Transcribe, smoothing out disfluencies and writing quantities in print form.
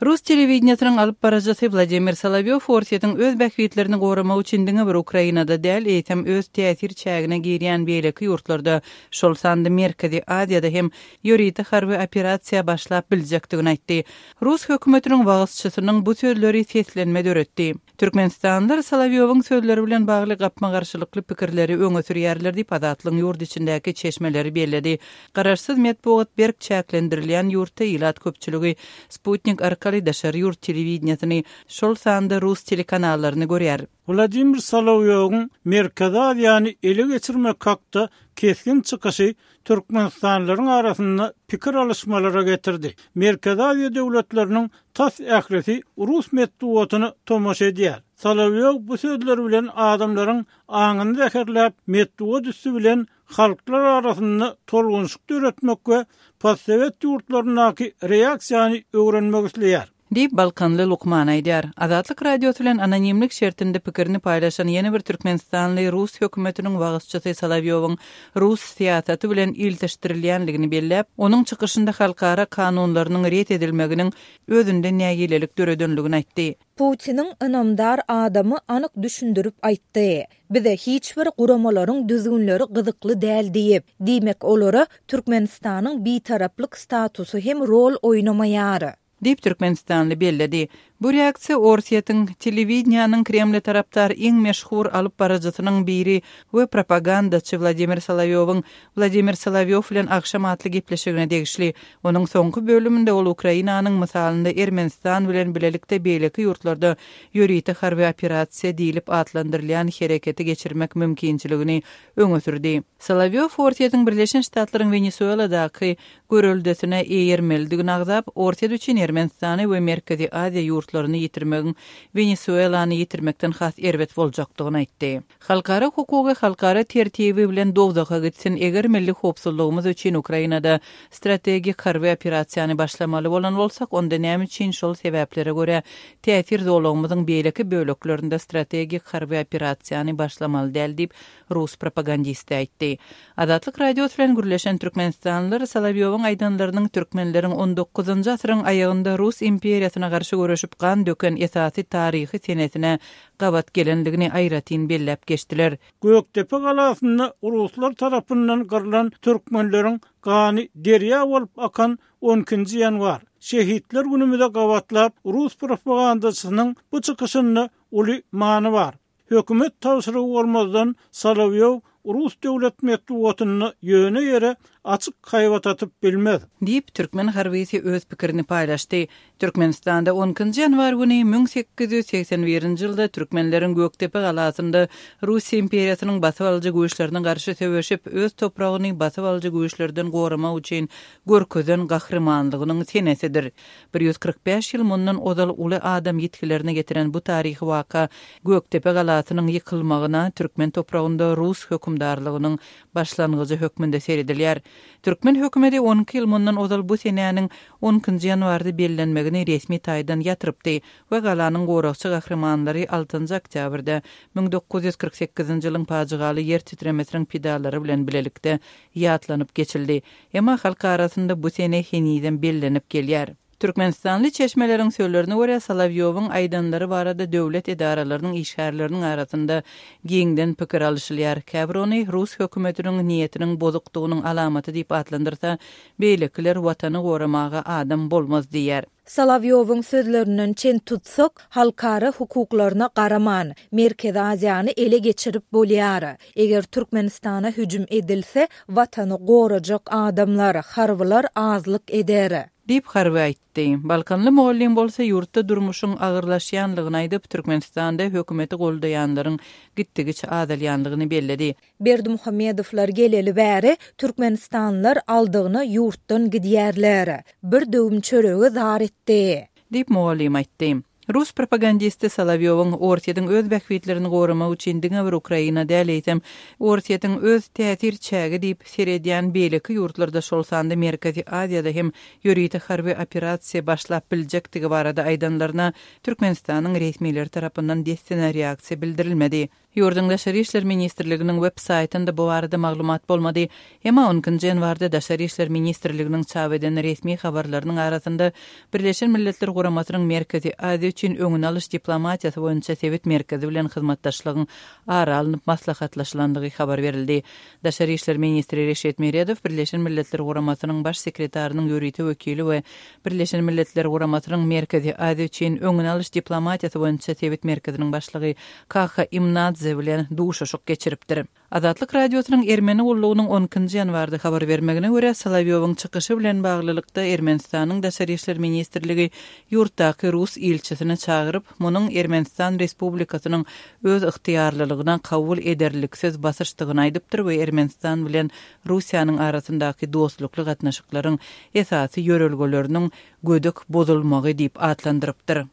Rus telewideniýesiniň alyp baryjysy Wladimir Solowýow Orsýetiň öz bähbitlerini goramak üçin diňe bir Ukrainada däl, eýsem öz täsir çägine girýän beýleki ýurtlarda, şol sanda Merkezi Aziýada hem ýörite harby operasiýa başlap biljekdigini aýtdy. Rus hökümetiniň wagyzçysynyň bu sözleri seslenme döretdi. Türkmenistanlylar Solowýowyň sözleri bilen bagly gapma-garşylykly pikirleri öňe sürýärler diýip, Azatlygyň ýurt içindäki çeşmeleri belledi. Garaşsyz metbugat berk çäklendirilýän ýurtda ilat köpçüligi sputnik arkaly daşary ýurt telewideniýesini, şol sanda rus telekanallaryny görýär. Wladimir Solowýowyň Merkezi Aziýany ele geçirmek hakda kesgin çykyşy türkmenistanlylaryň arasynda pikir alyşmalara getirdi. Merkezi Aziýa döwletleriniň tas ählisi rus metbugatyna tomaşa edýär. Solowýow bu sözleri bilen adamlaryň aňyny zäherläp, metbugat üsti bilen halklar arasynda tolgunyşyk döretmek we postsowet ýurtlaryndaky reaksiýany öwrenmek isleýär. Diýip, balkanly lukman aýdýar. Azatlyk Radiosy bilen anonimlik şertinde pikirini paýlaşan ýene bir türkmenistanly rus hökümetiniň wagyzçysy Solowýowyň rus syýasaty bilen ilteşdirilýänligini belläp, onuň çykyşynda halkara kanunlarynyň ret edilmeginiň özünde nägilelik döredenligini aýtdy. Putiniň ynamdar adamy anyk düşündirip aýtdy. Bize hiç bir guramalaryň düzgünleri gyzykly däl diýip. Diýmek olara Türkmenistanyň bitaraplyk statusy hem rol oýnamaýar. Diýip, türkmenistanly belledi. Bu reaksiýa Orsýetiň telewideniýäniň Kremle tarapdar iň meşhur alyp baryjysynyň biri we propagandaçy Wladimir Solowýowyň Wladimir Solowýow bilen agşam atly gepleşigine degişli. Onuň soňky bölüminde ol Ukrainanyň mysalynda Ermenistan bilen bilelikde beýleki ýurtlarda ýörite harby operasiýa diýlip atlandyrylýan hereketi geçirmek mümkinçiligini öňe sürdi. Solowýow Orsýetiň Birleşen Ştatlaryň Wenesueladaky göreldesine eýermelidigini agzap, Orsýet üçin Ermenistany we Merkezi Aziýa ýurtlaryny ýitirmegiň Wenesuelany ýitirmekden has erbet boljakdygyny aýtdy. Halkara hukugy halkara tertibi bilen dowzaha gitsin, eger milli howpsuzlygymyz üçin Ukrainada strategik harby operasiýany başlamaly bolan bolsak, onda näme üçin şol sebäplere görä täsir zolagymyzyň beýleki böleklerinde strategik harby operasiýany başlamaly däl diýip, rus propagandisti aýtdy. Azatlyk Radiosy bilen gürleşen türkmenistanlylar Solowýowyň aýdanlarynyň türkmenleriň on dokuzynjy asyryň aýagynda rus imperiýasyna garşy göreşip gan döken esasy taryhy senesine gabat gelendigini aýratyn belläp geçdiler. Gökdepe galasynda ruslar tarapyndan gyrlan türkmenleriň gany derýa bolup akan on ikinji ýanwar, Şehitler günümize gabatlap rus propagandaçysynyň bu çykyşynda uly many bar. Hökümet tabşyrygy bolmazdan Solowýow rus döwlet metbugatynda ýöne ýere açyk haýbat atyp bilmez. Diýip, türkmen harbysy öz pikirini paýlaşdy. Türkmenistanda on ikinji ýanwar güni 1881-nji ýylda türkmenleriň Gökdepe galasynda Russiýa imperiýasynyň basybalyjy güýçlerine garşy söweşip, öz topragyny basybalyjy güýçlerden goramak üçin görkezen gahrymanlygynyň senesidir. 145 ýyl mundan ozal uly adam ýitgilerine getiren bu taryhy waka Gökdepe galasynyň ýykylmagyna türkmen topragynda rus hökümdarlygynyň başlangyjy hökmünde seredilýär. Türkmen hökümeti 12 ýyl mundan ozal bu senäniň on ikinji ýanwarda bellenmegini resmi taýdan ýatyrypdy we galanyň goragçy gahrymanlary altynjy oktýabrda 1948-nji ýylyň pajygaly ýer titremesiniň pidalary bilen bilelikde ýatlanyp geçildi. Emma halk arasynda bu sene henizem bellenip gelýär. Türkmenistanly çeşmeleriň sözlerine görä, Solowýowyň aýdanlary barada döwlet edaralarynyň işgärleriniň arasynda giňden pikir alyşylýar. Käbir ony rus hökümetiniň niýetiniň bozukdygynyň alamaty diýip atlandyrsa, beýlekiler Watany goramaga adam bolmaz diýýär. Solowýowyň sözlerinden çen tutsak, halkara hukuklaryna garaman, Merkezi Aziýany ele geçirip bolýar. Eger Türkmenistana hüjüm edilse, Watany gorajak adamlar, harbylar azlyk eder. Diýip, harby aýtdy. Balkanly mugallym bolsa ýurtda durmuşyň agyrlaşýanlygyny aýdyp, Türkmenistanda hökümeti goldaýanlaryň gitdigiçe azalýanlygyny belledi. Berdimuhamedowlar geleli bäri türkmenistanlylar aldygyna ýurtdan gidýärler. Bir döwüm çörege zar etdi. Diýip, mugallym aýtdy. Rus propagandisti Solowýowyň Orsýetiň öz bähbitlerini goramak üçin diňe bir Ukraina däl, eýsem, Orsýetiň öz täsir çägi diýip seredýän beýleki ýurtlarda, şol sanda Merkezi Aziýada hem ýörite harby operasiýa başlap biljekdigi barada aýdanlaryna Türkmenistanyň resmileri tarapyndan dessine reaksiýa bildirilmedi. Ýurduň Daşary işler ministrliginiň web saýtynda bu barada maglumat bolmady. Emma on ikinji ýanwarda Daşary işler ministrliginiň çap eden resmi habarlarynyň arasynda Birleşen Milletler Guramasynyň Merkezi Aziýa üçin öňüni alyş diplomatiýasy boýunça sebit merkezi bilen hyzmatdaşlygyň ara alnyp maslahatlaşylandygy habar berildi. Daşary işler ministri Reşit Meredow Birleşen Milletler Guramasynyň Baş sekretarynyň ýörite wekili we Birleşen Milletler Guramasynyň Merkezi Aziýa üçin öňüni alyş diplomatiýasy boýunça sebit merkeziniň başlygy Kaha Imnadze bilen duşuşyk geçiripdir. Azatlyk Radiosynyň Ermeni gullugynyň on ikinji ýanwarda habar bermegine görä, Solowýowyň çykyşy bilen baglylykda Ermenistanyň Daşary işler ministrligi ýurtdaky rus ilçisini çagyryp, munuň Ermenistan Respublikasynyň öz ygtyýarlylygyna kabul ederliksiz basyşdygyny aýdypdyr we Ermenistan bilen Russiýanyň arasyndaky dostlukly gatnaşyklaryň esasy ýörelgeleriniň gödek bozulmagy diýip atlandyrypdyr.